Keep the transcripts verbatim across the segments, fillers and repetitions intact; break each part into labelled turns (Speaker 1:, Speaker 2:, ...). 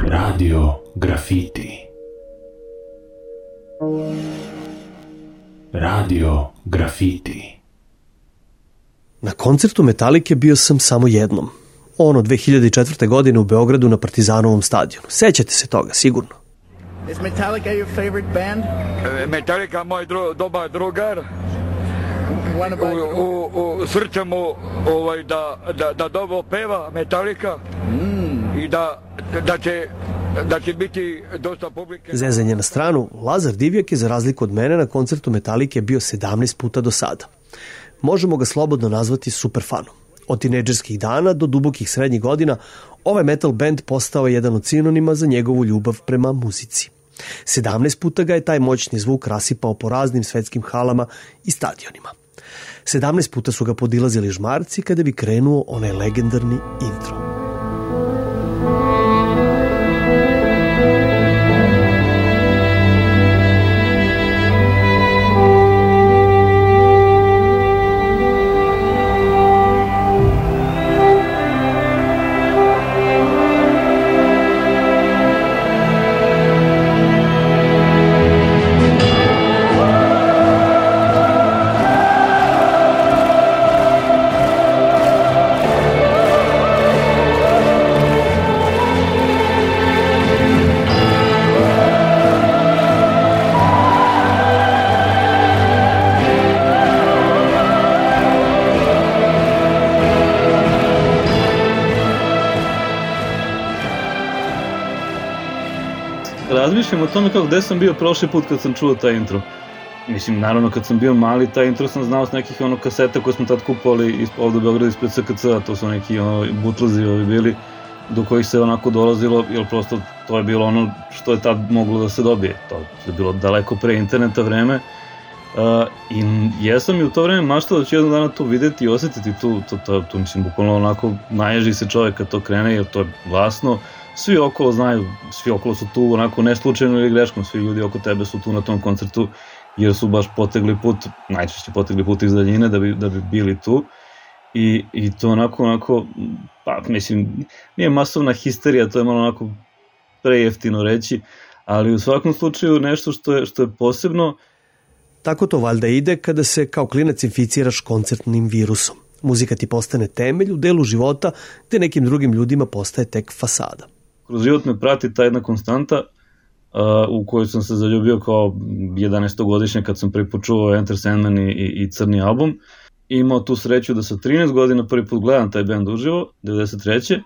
Speaker 1: Radio Grafiti. Radio Grafiti.
Speaker 2: Na koncertu Metalike bio sam samo jednom. Ono dve hiljade četvrte. godine u Beogradu na Partizanovom stadionu. Sećate se toga, sigurno.
Speaker 3: Is Metallica your favorite band?
Speaker 4: Metallica moj dru, dobar drugar.
Speaker 3: About...
Speaker 4: U, u, u srce mu ovaj, da, da, da dobro peva Metallica mm. i da, da, će, da će biti dosta publike.
Speaker 2: Zezanje na stranu, Lazar Divjak je za razliku od mene na koncertu Metalike bio sedamnaest puta do sada. Možemo ga slobodno nazvati superfanom. Od tinejdžerskih dana do dubokih srednjih godina ovaj metal band postao je jedan od sinonima za njegovu ljubav prema muzici. sedamnaest puta ga je taj moćni zvuk rasipao po raznim svetskim halama i stadionima. sedamnaest puta su ga podilazili žmarci kada bi krenuo onaj legendarni intro.
Speaker 5: Razmišljam o tome kako gde sam bio prošli put kad sam čuo taj intro. Mislim, naravno kad sam bio mali, taj intro sam znao s nekih ono kaseta koje smo tad kupovali ovde u Beogradu ispred S K C-a, to su neki ono butlezi ovi bili, do kojih se onako dolazilo, jer prosto to je bilo ono što je tad moglo da se dobije. To je bilo daleko pre interneta vreme. Uh, I jesam i u to vreme maštao da ću jednog dana to videti i osetiti tu, to, to, to mislim, bukvalno onako naježi se čovjek kad to krene, jer to je glasno. Svi okolo znaju, svi okolo su tu onako ne slučajno ili greškom, svi ljudi oko tebe su tu na tom koncertu jer su baš potegli put, najčešće potegli put iz daljine da bi, da bi bili tu i, i to onako, onako, pa mislim, nije masovna histerija, to je malo onako prejeftino reći, ali u svakom slučaju nešto što je, što je posebno.
Speaker 2: Tako to valjda ide kada se kao klinac inficiraš koncertnim virusom. Muzika ti postane temelj u delu života gde nekim drugim ljudima postaje tek fasada.
Speaker 5: Kroz život me prati ta jedna konstanta uh, u kojoj sam se zaljubio kao jedanaestogodišnjak kad sam prvi put čuo Enter Sandman i, i, i Crni album. I imao tu sreću da sa trinaest godina prvi put gledam taj band uživo, devedeset treće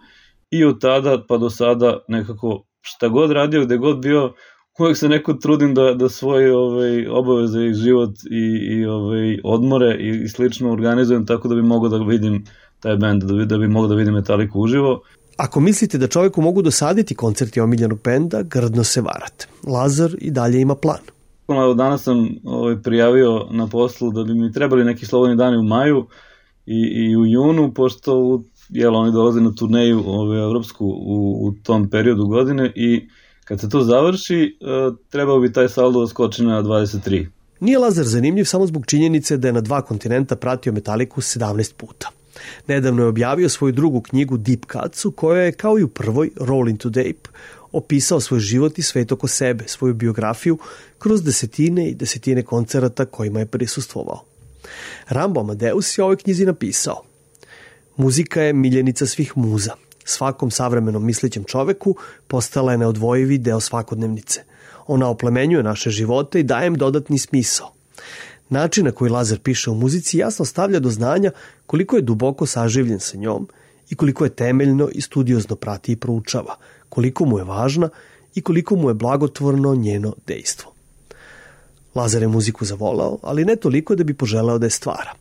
Speaker 5: I od tada pa do sada nekako šta god radio, gde god bio, uvek se neko trudim da, da svoje ovaj, obaveze i život i, i ovaj, odmore i, i slično organizujem tako da bi mogao da vidim taj band, da bi, da bi mogao da vidim Metaliku uživo.
Speaker 2: Ako mislite da čovjeku mogu dosaditi koncerti omiljenog benda, grdno se varate. Lazar i dalje ima plan.
Speaker 5: Danas sam ovaj, prijavio na poslu da bi mi trebali neki slobodni dani u maju i, i u junu, pošto jel, oni dolaze na turneju ovaj, evropsku u, u tom periodu godine i kad se to završi, trebao bi taj saldo da skoči na dvadeset tri.
Speaker 2: Nije Lazar zanimljiv samo zbog činjenice da je na dva kontinenta pratio Metaliku sedamnaest puta. Nedavno je objavio svoju drugu knjigu Deep Cuts, u kojoj je, kao i u prvoj, Roll into Tape, opisao svoj život i svet oko sebe, svoju biografiju, kroz desetine i desetine koncerata kojima je prisustvovao. Rambo Amadeus je ovoj knjizi napisao: muzika je miljenica svih muza. Svakom savremenom mislećem čoveku postala je neodvojivi deo svakodnevnice. Ona oplemenjuje naše živote i daje im dodatni smisao. Način na koji Lazar piše o muzici jasno stavlja do znanja koliko je duboko saživljen sa njom i koliko je temeljno i studiozno prati i proučava, koliko mu je važna i koliko mu je blagotvorno njeno dejstvo. Lazar je muziku zavolao, ali ne toliko da bi poželeo da je stvara.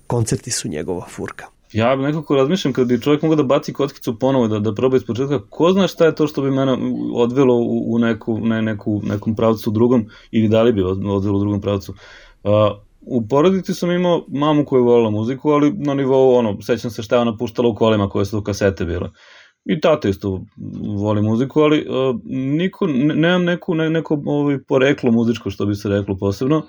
Speaker 2: Koncerti su njegova furka.
Speaker 5: Ja nekako razmišljam kad bi čovjek mogao da baci kockicu ponovo, da, da proba iz početka, ko zna šta je to što bi mene odvelo u, u neku, ne, neku, nekom pravcu drugom, ili da li bi odvelo u drugom pravcu. Uh, u porodici sam imao mamu koja je volila muziku, ali na nivou, ono, sećam se šta je ona puštala u kolima koje su kasete bile. I tata isto voli muziku, ali uh, niko, ne, nemam neku, ne, neko ovaj, poreklo muzičko, što bi se reklo posebno.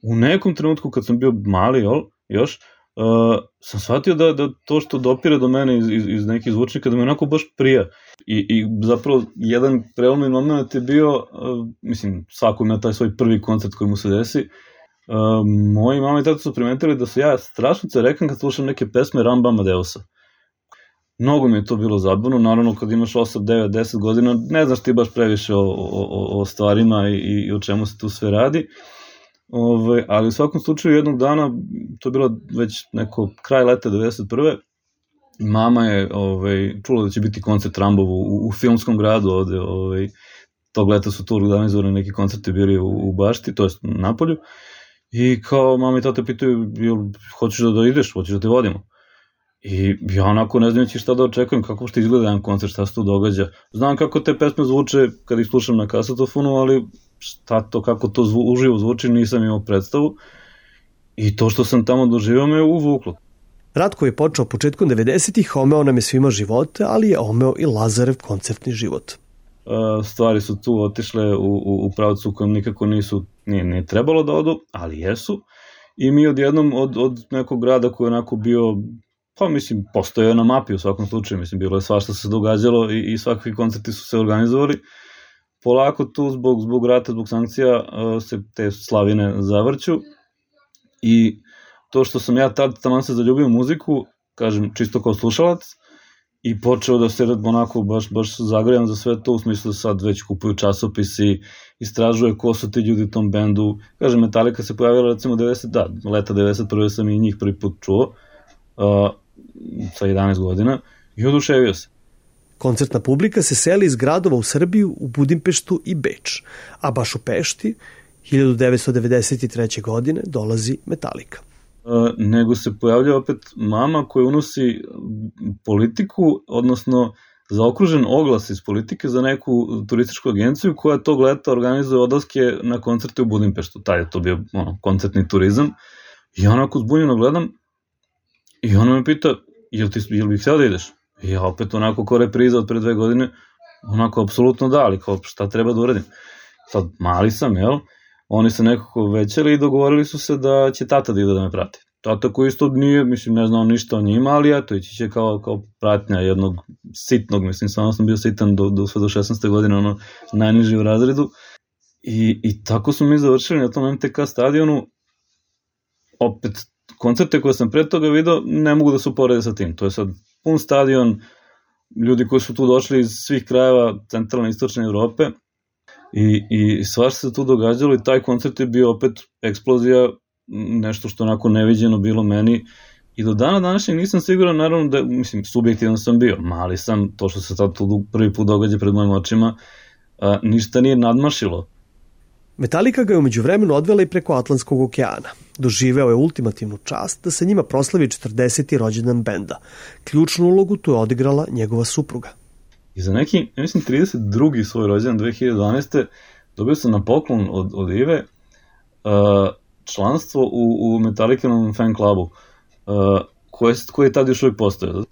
Speaker 5: U nekom trenutku kad sam bio mali, jel, još, Uh, sam shvatio da, da to što dopire do mene iz, iz, iz nekih zvučnika, da mi onako baš prija. I, i zapravo jedan prelomni moment je bio, uh, mislim, svako ima taj svoj prvi koncert koji mu se desi. Uh, moji mama i tata su primetili da su ja strašno cerekan kad slušam neke pesme Ramba Amadeusa. Mnogo mi je to bilo zabavno, naravno kad imaš osam, devet, deset godina, ne znaš ti baš previše o, o, o stvarima i, i o čemu se tu sve radi. Ove, ali u svakom slučaju jednog dana, to je bilo već neko kraj leta devedeset prve. Mama je ove, čula da će biti koncert Rambovu u, u filmskom gradu ovde, ove, tog leta su tu organizovani neki koncerti bili u, u Bašti, to je na Napolju, i kao mama i tata pitaju, jel hoćeš da, da ideš, hoćeš da te vodimo? I ja onako ne znajući šta da očekujem, kako što izgleda jedan koncert, šta se tu događa. Znam kako te pesme zvuče kad ih slušam na kasetofonu, ali šta to, kako to zvu, uživo zvuči, nisam imao predstavu. I to što sam tamo doživao me uvuklo.
Speaker 2: Ratko je počeo početkom devedesetih, omeo nam je svima živote, ali je omeo i Lazarev koncertni život.
Speaker 5: Stvari su tu otišle u, u, u pravcu u kojem nikako nisu, nije, nije trebalo da odu, ali jesu. I mi odjednom od, od nekog grada koji je onako bio, pa mislim, postoje na mapi u svakom slučaju, mislim, bilo je svašta se događalo i, i svakakvi koncerti su se organizovali. Polako tu zbog, zbog rata, zbog sankcija se te slavine zavrću i to što sam ja tad taman se zaljubio u muziku, kažem, čisto kao slušalac, i počeo da se onako baš, baš zagrevam za sve to, u smislu da sad već kupuju časopisi, istražuje ko su ti ljudi u tom bendu. Kažem, Metallica se pojavila recimo devedeset, da, leta devedeset prve sam i njih prvi put čuo, uh, sa jedanaest godina, i oduševio se.
Speaker 2: Koncertna publika se seli iz gradova u Srbiju, u Budimpeštu i Beč, a baš u Pešti hiljadu devetsto devedeset treće. godine dolazi Metallica.
Speaker 5: Uh, nego se pojavlja opet mama koja unosi politiku, odnosno zaokružen oglas iz politike za neku turističku agenciju koja tog leta organizuje odlaske na koncerte u Budimpeštu. Taj je to bio ono, koncertni turizam. I onako zbunjeno gledam i ona me pita, jel, ti, jel bih htio da ideš? I ja opet onako ko repriza od pre dve godine, onako apsolutno da, ali kao šta treba da uradim? Sad mali sam, jel? Oni se nekako većali i dogovorili su se da će tata da ide da me prati. Tata koji isto nije, mislim, ne znao ništa o njima, ali eto, ići će kao, kao pratnja jednog sitnog, mislim, samo sam bio sitan do, do, sve do šesnaeste godine, ono, najniži u razredu. I, i tako smo mi završili na tom em te ka stadionu. Opet, koncerte koje sam pre toga video ne mogu da se uporede sa tim. To je sad pun stadion, ljudi koji su tu došli iz svih krajeva centralne i istočne Evrope. I, i svašta se tu događalo i taj koncert je bio opet eksplozija, nešto što onako neviđeno bilo meni i do dana današnjeg nisam siguran, naravno da, mislim, subjektivno sam bio, mali sam, to što se sad tu prvi put događa pred mojim očima, a, ništa nije nadmašilo.
Speaker 2: Metallica ga je umeđu vremenu odvela i preko Atlantskog okeana. Doživeo je ultimativnu čast da se njima proslavi četrdeseti rođendan benda. Ključnu ulogu tu je odigrala njegova supruga.
Speaker 5: I za neki, ja mislim, trideset drugi svoj rođendan dve hiljade dvanaeste. dobio sam na poklon od, od Ive uh, članstvo u, u Metallicanom fan klubu, uh, koje, koje je tad još uvijek postojao.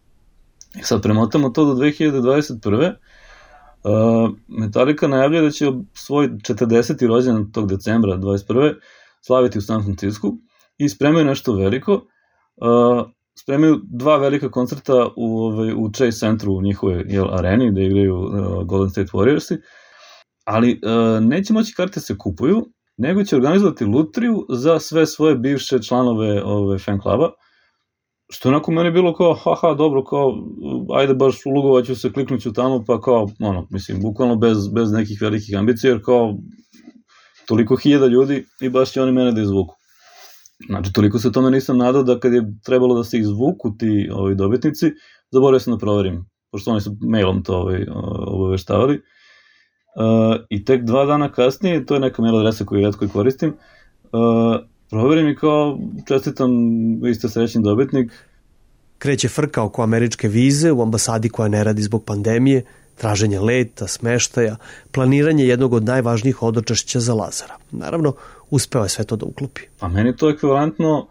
Speaker 5: I sad premotamo to do dve hiljade dvadeset prve. Uh, Metallica najavlja da će svoj četrdeseti rođendan tog decembra dvadeset prve slaviti u San Francisku i spremaju nešto veliko. Uh, spremaju dva velika koncerta u, ovaj, u Chase Centru u njihove jel, areni gde igraju uh, Golden State Warriorsi, ali uh, neće moći karte se kupuju, nego će organizovati lutriju za sve svoje bivše članove ove fan kluba, što onako meni bilo kao, haha, dobro, kao, ajde baš ulugovaću se, kliknuću tamo, pa kao, ono, mislim, bukvalno bez, bez nekih velikih ambicija, jer kao, toliko hiljada ljudi i baš će oni mene da izvuku. Znači, toliko se tome nisam nadao da kad je trebalo da se izvuku ti ovi dobitnici, zaboravio sam da proverim, pošto oni su mailom to ovaj, obaveštavali. Uh, I tek dva dana kasnije, to je neka mail adresa koju retko i koristim, uh, proverim i kao čestitam, vi ste srećni dobitnik.
Speaker 2: Kreće frka oko američke vize u ambasadi koja ne radi zbog pandemije, traženje leta, smeštaja, planiranje jednog od najvažnijih hodočašća za Lazara. Naravno, uspeo je sve to da uklopi.
Speaker 5: A meni to je ekvivalentno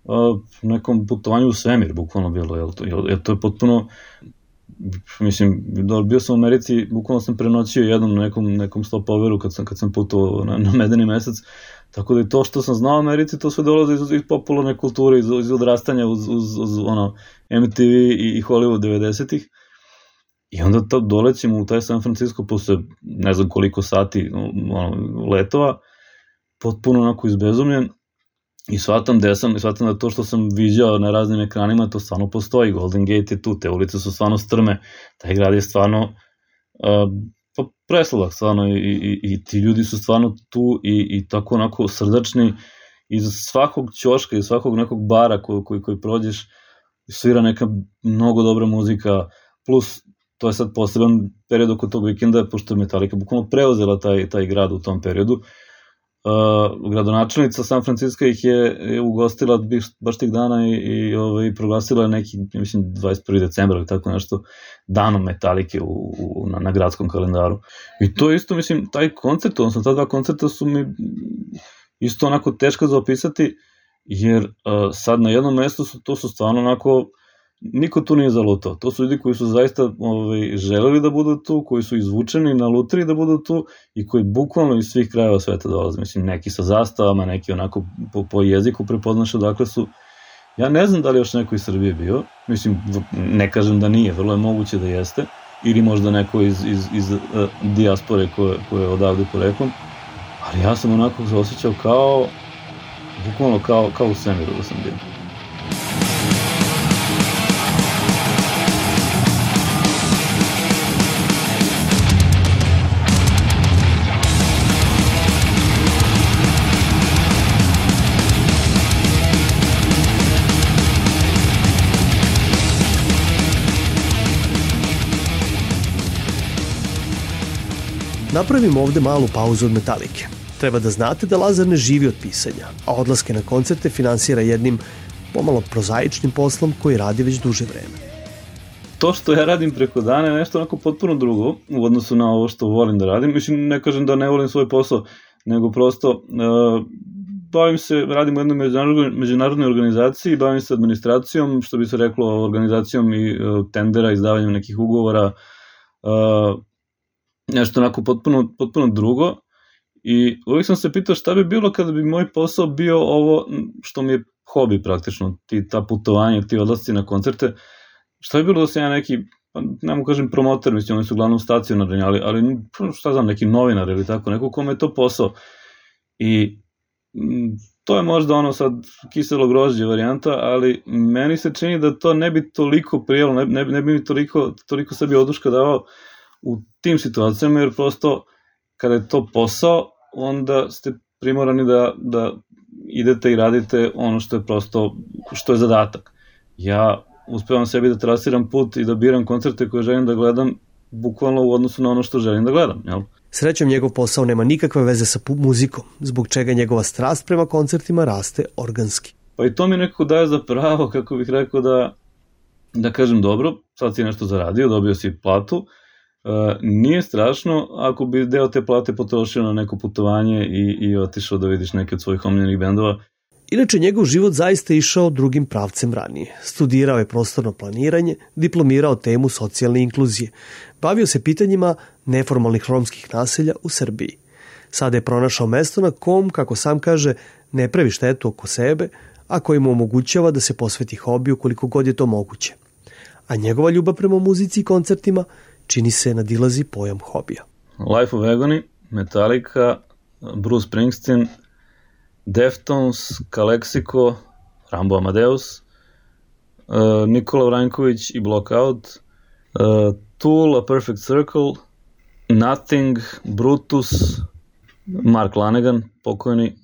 Speaker 5: uh, nekom putovanju u svemir, bukvalno bilo, jer to, jer to je potpuno, mislim, bio sam u Americi, bukvalno sam prenoćio jednom na nekom, nekom stopoveru kad sam, kad sam putovao na, na medeni mesec, tako da i to što sam znao u Americi, to sve dolazi iz, iz popularne kulture, iz, iz odrastanja uz, uz, uz ono, em te ve i, i Hollywood devedesetih. I onda to dolećemo u taj San Francisco posle ne znam koliko sati ono, letova, potpuno onako izbezumljen, i shvatam gde sam, i shvatam da to što sam viđao na raznim ekranima, to stvarno postoji. Golden Gate je tu, te ulice su stvarno strme, taj grad je stvarno uh, pa presladak stvarno, i, i, i ti ljudi su stvarno tu i, i tako onako srdačni, iz svakog ćoška, iz svakog nekog bara koji, koji, koji prođeš svira neka mnogo dobra muzika, plus to je sad poseban period oko tog vikenda, pošto je Metallica bukvalno preuzela taj, taj grad u tom periodu. Uh, gradonačelnica San Francisco ih je, je ugostila baš tih dana i, i ovaj, proglasila neki, mislim, dvadeset prvog decembra ili tako nešto, danom Metallice u, u, na, na gradskom kalendaru. I to isto, mislim, taj koncert, odnosno ta dva koncerta su mi isto onako teško za opisati, jer uh, sad na jednom mestu su, to su stvarno onako, niko tu nije zalutao. To su ljudi koji su zaista ovaj, želeli da budu tu, koji su izvučeni na lutriji da budu tu i koji bukvalno iz svih krajeva sveta dolaze. Mislim, neki sa zastavama, neki onako po, po jeziku prepoznaš odakle su. Ja ne znam da li još neko iz Srbije bio, mislim, ne kažem da nije, vrlo je moguće da jeste, ili možda neko iz, iz, iz uh, dijaspore koje, koje je odavde poreklom, ali ja sam onako se osjećao kao, bukvalno kao, kao u svemiru da sam bio.
Speaker 2: Napravimo ovde malu pauzu od Metalike. Treba da znate da Lazar ne živi od pisanja, a odlaske na koncerte finansira jednim pomalo prozaičnim poslom koji radi već duže vreme.
Speaker 5: To što ja radim preko dana je nešto onako potpuno drugo u odnosu na ovo što volim da radim. Mislim, ne kažem da ne volim svoj posao, nego prosto uh, bavim se, radim u jednoj međunarodnoj, međunarodnoj organizaciji, bavim se administracijom, što bi se reklo, organizacijom i uh, tendera, izdavanjem nekih ugovora, uh, nešto onako potpuno, potpuno drugo. I uvijek sam se pitao šta bi bilo kada bi moj posao bio ovo što mi je hobi praktično, ti, ta putovanja, ti odlasci na koncerte, šta bi bilo da sam ja neki, ne mogu kažem promoter, mislim, oni su uglavnom stacionarni, ali, ali šta znam, neki novinar ili tako, neko kome je to posao. I to je možda ono sad kiselo grožđe varijanta, ali meni se čini da to ne bi toliko prijelo, ne, ne, ne bi mi toliko, toliko sebi oduška davao u tim situacijama, jer prosto kada je to posao, onda ste primorani da, da idete i radite ono što je prosto, što je zadatak. Ja uspevam sebi da trasiram put i da biram koncerte koje želim da gledam bukvalno u odnosu na ono što želim da gledam, jel?
Speaker 2: Srećom, njegov posao nema nikakve veze sa muzikom, zbog čega njegova strast prema koncertima raste organski.
Speaker 5: Pa i to mi nekako daje za pravo, kako bih rekao, da, da kažem dobro, sad si nešto zaradio, dobio si platu, Uh, nije strašno ako bi deo te plate potrošio na neko putovanje i, i otišao da vidiš neke od svojih omiljenih bendova.
Speaker 2: Inače, njegov život zaista išao drugim pravcem ranije. Studirao je prostorno planiranje, diplomirao temu socijalne inkluzije. Bavio se pitanjima neformalnih romskih naselja u Srbiji. Sada je pronašao mesto na kom, kako sam kaže, ne pravi štetu oko sebe, a koji mu omogućava da se posveti hobiju koliko god je to moguće. A njegova ljubav prema muzici i koncertima čini se nadilazi pojam hobija.
Speaker 5: Life of Agony, Metallica, Bruce Springsteen, Deftones, Calexico, Rambo Amadeus, uh, Nikola Vranković i Blockout, uh, Tool, A Perfect Circle, Nothing, Brutus, Mark Lanegan, pokojni,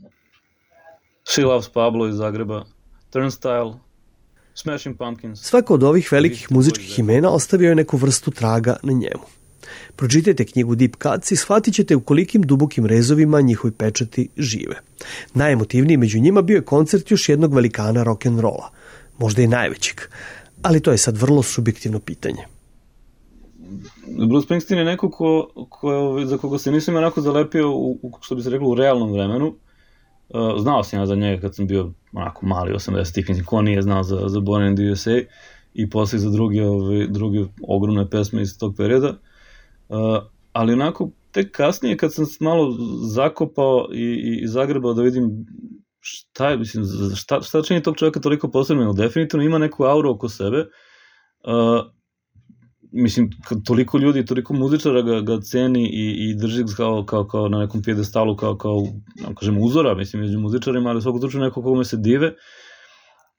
Speaker 5: She Loves Pablo iz Zagreba, Turnstile, Smashing Pumpkins.
Speaker 2: Svako od ovih velikih muzičkih imena ostavio je neku vrstu traga na njemu. Pročitajte knjigu Deep Cuts i shvatit ćete u kolikim dubokim rezovima njihovi pečati žive. Najemotivniji među njima bio je koncert još jednog velikana rock'n'rolla, možda i najvećeg, ali to je sad vrlo subjektivno pitanje.
Speaker 5: Bruce Springsteen je neko ko, ko, za koga se nisam onako zalepio u, u, što bi se reklo, u realnom vremenu. Uh, znao sam ja za njega kad sam bio onako mali osamdesetih, mislim, ko nije znao za, za Born in the U S A i posle za druge, ove, druge ogromne pesme iz tog perioda. Uh, ali onako, tek kasnije kad sam malo zakopao i, i, i zagrebao da vidim šta je, mislim, šta, šta čini tog čovjeka toliko posebno, definitivno ima neku auru oko sebe. Uh, mislim, toliko ljudi, toliko muzičara ga, ga ceni i, i drži kao, kao, kao na nekom pijedestalu, kao, kao kažem, uzora, mislim, među muzičarima, ali svakog slučaju neko kome se dive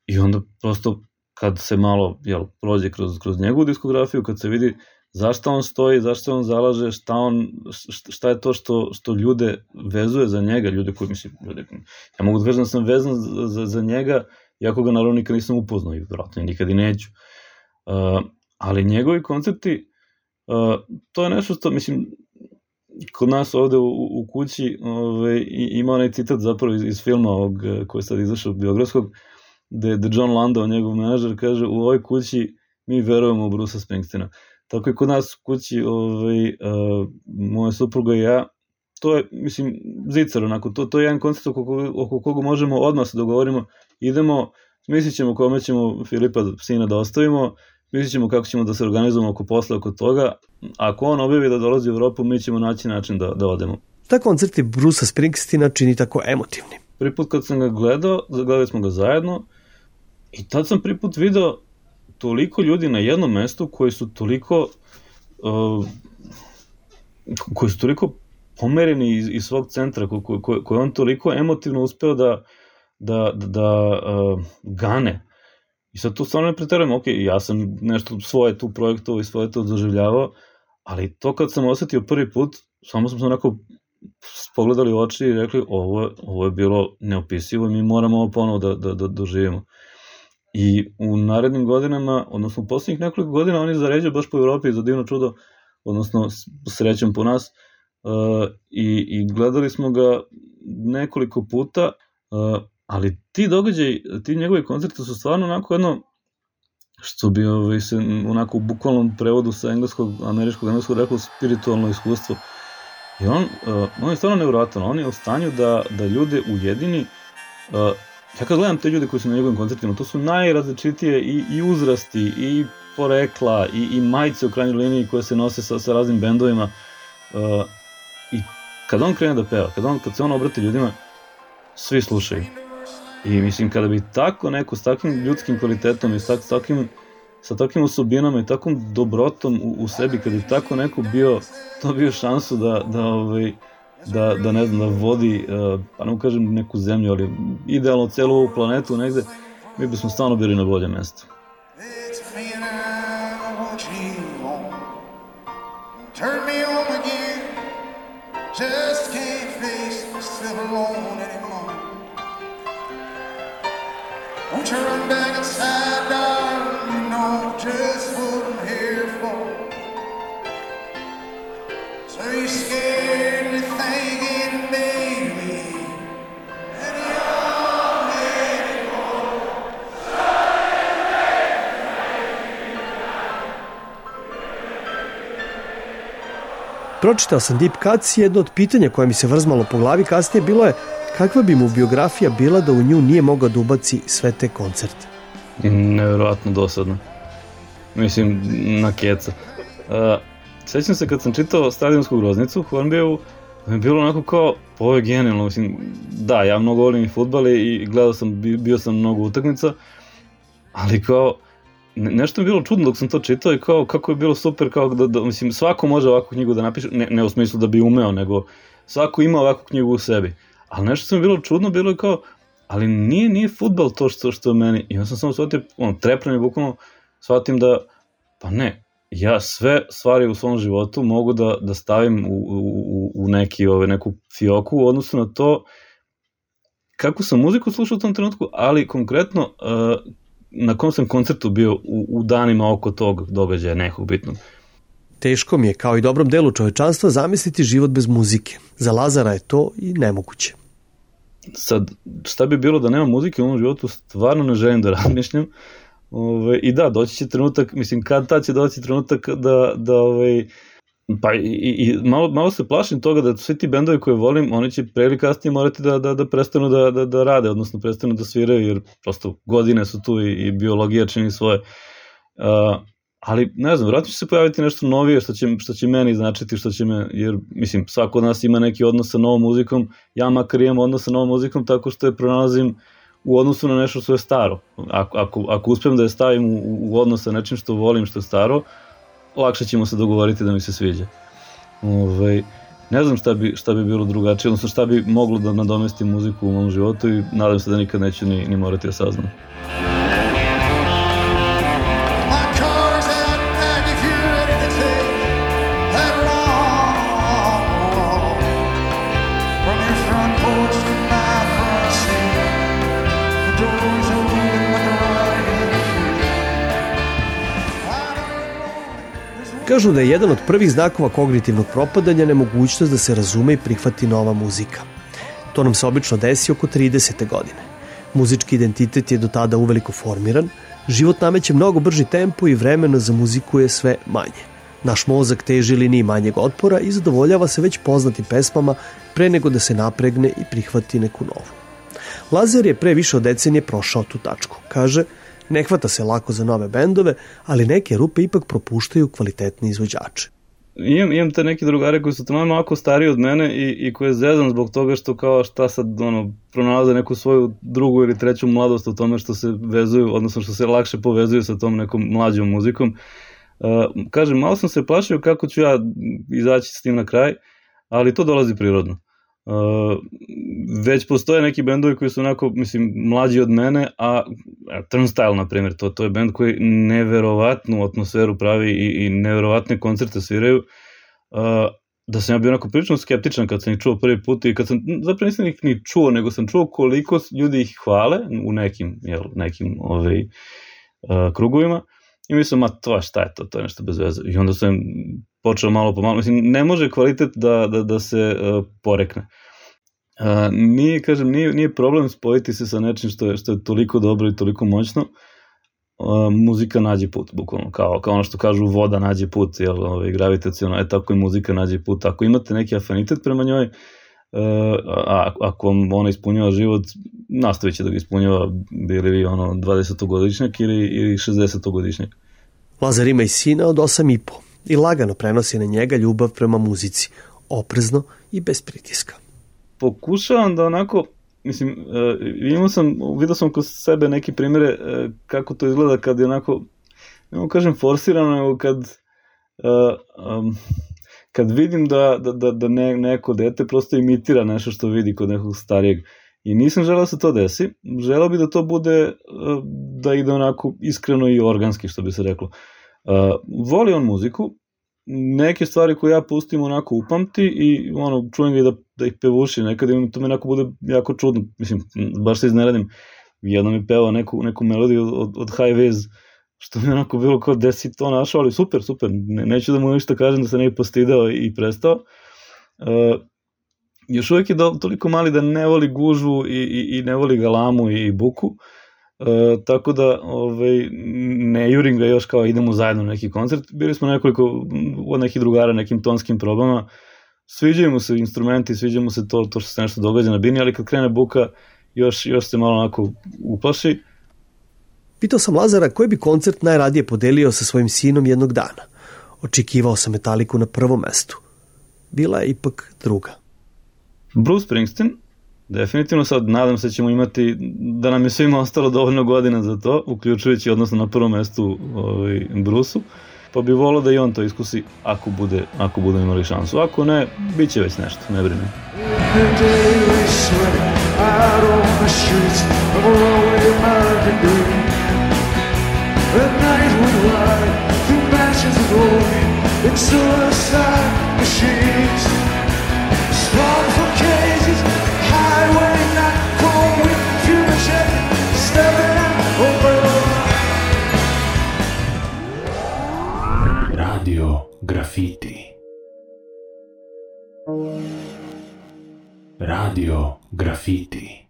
Speaker 5: i onda prosto kad se malo, jel, prođe kroz, kroz njegovu diskografiju, kad se vidi zašto on stoji, zašto on zalaže, šta, on, šta je to što, što ljude vezuje za njega, ljude koji, mislim, ljude, ja mogu da kažem da sam vezan za, za, za njega, iako ga naravno nikad nisam upoznao i vjerojatno nikad i neću. Uh, ali njegovi koncerti, uh, to je nešto što, mislim, kod nas ovde u, u kući ove, ima onaj citat zapravo iz, iz filma ovog, koji je sad izašao biografskog, gde, gde John Landau, njegov menadžer, kaže u ovoj kući mi verujemo u Brucea Springsteena. Tako i kod nas u kući, ovaj, uh, moja supruga i ja, to je, mislim, zicar, onako, to, to je jedan koncert oko, oko koga možemo odmah se dogovorimo, idemo, smislit ćemo kome ćemo Filipa sina da ostavimo, smislit ćemo kako ćemo da se organizujemo oko posla, oko toga, ako on objavi da dolazi u Evropu, mi ćemo naći način da, da odemo.
Speaker 2: Ta koncerti Brucea Springsteena čini tako emotivni.
Speaker 5: Prvi put kad sam ga gledao, gledali smo ga zajedno i tad sam prvi put video toliko ljudi na jednom mestu koji su toliko uh, koji su toliko pomereni iz, iz svog centra, koje ko, ko, ko on toliko emotivno uspeo da, da, da, da uh, gane. I sad tu stvarno ne preterujem, ok, ja sam nešto svoje tu projektovao i svoje to doživljavao, ali to kad sam osetio prvi put, samo smo se onako pogledali u oči i rekli ovo, ovo je bilo neopisivo i mi moramo ovo ponovo da, da, da doživimo. I u narednim godinama, odnosno u posljednjih nekoliko godina, oni zaređuju baš po Evropi za divno čudo, odnosno srećom po nas, uh, i, i gledali smo ga nekoliko puta, uh, ali ti događaj, ti njegovi koncerti su stvarno onako jedno, što bi ovaj, se onako u bukvalnom prevodu sa engleskog, američkog, engleskog rekao spiritualno iskustvo. I on, uh, on je stvarno nevjerojatan, on je u stanju da, da ljude ujedini. Uh, ja kad gledam te ljude koji su na njegovim koncertima, to su najrazličitije i, i uzrasti, i porekla, i, i majice u krajnjoj liniji koje se nose sa, sa raznim bendovima. Uh, I kad on krene da peva, kad, on, kad se on obrati ljudima, svi slušaju. I mislim, kada bi tako neko s takvim ljudskim kvalitetom i s takvim, sa takvim osobinama i takvom dobrotom u, u sebi, kada bi tako neko bio, to bio šansu da, da, ovaj, da, da ne znam, da vodi, uh, pa ne mu kažem neku zemlju, ali idealno celu ovu planetu negde, mi bismo stvarno bili na bolje mesto. Just can't face myself alone anymore. Won't you run back inside, darling? You know just what I'm here for. So you're scared and you're thinking, baby, and you're letting go.
Speaker 2: Pročitao sam Deep Cuts i jedno od pitanja koje mi se vrzmalo po glavi kasnije bilo je kakva bi mu biografija bila da u nju nije mogao da ubaci sve te koncerte.
Speaker 5: Nevjerojatno dosadno. Mislim, na keca. Uh, sećam se kad sam čitao Stadionsku groznicu u Hornbiju, je bilo onako kao, ovo je genijalno, mislim, da, ja mnogo volim i fudbal i gledao sam, bio sam mnogo utakmica, ali kao, ne, nešto mi je bilo čudno dok sam to čitao i kao, kako je bilo super, kao da, da mislim, svako može ovakvu knjigu da napiše, ne, ne u smislu da bi umeo, nego svako ima ovakvu knjigu u sebi. Ali nešto što mi je bilo čudno, bilo je kao, ali nije, nije fudbal to što, što je meni. I onda sam samo shvatio, ono, trepnem i bukvalno shvatim da, pa ne, ja sve stvari u svom životu mogu da, da stavim u, u, u neki, ove, neku fioku u odnosu na to kako sam muziku slušao u tom trenutku, ali konkretno uh, na kom sam koncertu bio u, u danima oko tog događaja nekog bitnog.
Speaker 2: Teško mi je, kao i dobrom delu čovečanstva, zamisliti život bez muzike. Za Lazara je to i nemoguće.
Speaker 5: Sad, šta bi bilo da nema muzike u ovom životu, stvarno ne želim da razmišljam. Ove, I da, doći će trenutak, mislim, kad tad će doći trenutak da, da ove, pa i, i malo, malo se plašim toga da svi ti bendovi koje volim, oni će pre ili kasnije morati da, da, da prestanu da, da, da rade, odnosno prestanu da sviraju, jer prosto godine su tu i, i biologija čini svoje. Uh, ali ne znam, vratno će se pojaviti nešto novije što će, što će meni značiti, što će me, jer mislim, svako od nas ima neki odnos sa novom muzikom, ja makar imam odnos sa novom muzikom tako što je pronalazim u odnosu na nešto što je staro. Ako, ako, ako uspijem da je stavim u, u odnos sa nečim što volim, što je staro, lakše ćemo se dogovoriti da mi se sviđa. Ove, ne znam šta bi, šta bi bilo drugačije, odnosno šta bi moglo da nadomesti muziku u mom životu i nadam se da nikad neću ni, ni morati da saznam.
Speaker 2: Kažu da je jedan od prvih znakova kognitivnog propadanja nemogućnost da se razume i prihvati nova muzika. To nam se obično desi oko tridesete godine. Muzički identitet je do tada uveliko formiran, život nameće mnogo brži tempo i vremena za muziku je sve manje. Naš mozak teži liniji manjeg otpora i zadovoljava se već poznatim pesmama pre nego da se napregne i prihvati neku novu. Lazer je pre više od decenije prošao tu tačku. Kaže, ne hvata se lako za nove bendove, ali neke rupe ipak propuštaju kvalitetne izvođače.
Speaker 5: Imam, imam te neke drugare koji su tamo malo stariji od mene i, i koje zezam zbog toga što kao šta sad ono, pronalaze neku svoju drugu ili treću mladost u tome što se vezuju, odnosno što se lakše povezuju sa tom nekom mlađom muzikom. Uh, kažem, malo sam se plašio kako ću ja izaći s tim na kraj, ali to dolazi prirodno. Uh, već postoje neki bendovi koji su onako, mislim, mlađi od mene, a Turnstile, na primjer, to, to je bend koji neverovatnu atmosferu pravi i, i neverovatne koncerte sviraju, uh, da sam ja bio onako prilično skeptičan kad sam ih čuo prvi put i kad sam, zapravo nisam ih ni čuo, nego sam čuo koliko ljudi ih hvale u nekim, jel, nekim ovaj, uh, krugovima i mislim, ma to šta je to, to je nešto bez veze. I onda sam počeo malo po malo, mislim, ne može kvalitet da, da, da se uh, porekne. Uh, nije, kažem, nije, nije problem spojiti se sa nečim što je, što je toliko dobro i toliko moćno. Uh, muzika nađe put, bukvalno, kao, kao ono što kažu voda nađe put, jel, ovaj, gravitaciono, je tako i muzika nađe put. Ako imate neki afinitet prema njoj, uh, a, ako vam ona ispunjava život, nastavit će da ga ispunjava, bili vi ono dvadesetogodišnjak ili, ili šezdesetogodišnjak.
Speaker 2: Lazar ima i sina od osam i po i lagano prenosi na njega ljubav prema muzici, oprezno i bez pritiska.
Speaker 5: Pokušavam da onako, mislim, uh, imao sam, vidio sam kod sebe neke primjere uh, kako to izgleda kad je onako, ne kažem forsirano, kad, uh, um, kad vidim da, da, da, da ne, neko dete prosto imitira nešto što vidi kod nekog starijeg. I nisam želeo da se to desi, želeo bi da to bude, uh, da ide onako iskreno i organski, što bi se reklo. Uh, voli on muziku, neke stvari koje ja pustim onako upamti i ono, čujem ga i da, da ih pevuši nekada i to mi onako bude jako čudno, mislim, baš se izneradim. Jedno mi peva neku, neku melodiju od, od High Ways, što mi onako bilo kao da si to našao, ali super, super, ne, neću da mu ništa kažem da se ne bi postidao i prestao. Uh, još uvijek je do, toliko mali da ne voli gužvu i, i, i ne voli galamu i, i buku. Uh, tako da ovaj, ne jurim ga još kao idemo zajedno na neki koncert. Bili smo nekoliko od nekih drugara nekim tonskim probama, sviđaju mu se instrumenti, sviđa mu se to, to što se nešto događa na bini, ali kad krene buka još, još se malo onako uplaši.
Speaker 2: Pitao sam Lazara koji bi koncert najradije podelio sa svojim sinom jednog dana. Očekivao sam Metaliku na prvom mestu. Bila je ipak druga.
Speaker 5: Bruce Springsteen. Definitivno sad nadam se ćemo imati, da nam je svima ostalo dovoljno godina za to, uključujući odnosno na prvom mestu ovaj, Bruce-u, pa bi volao da i on to iskusi ako bude, ako budemo imali šansu. Ako ne, bit će već nešto, ne brini.
Speaker 1: Radio Graffiti. Radio Graffiti.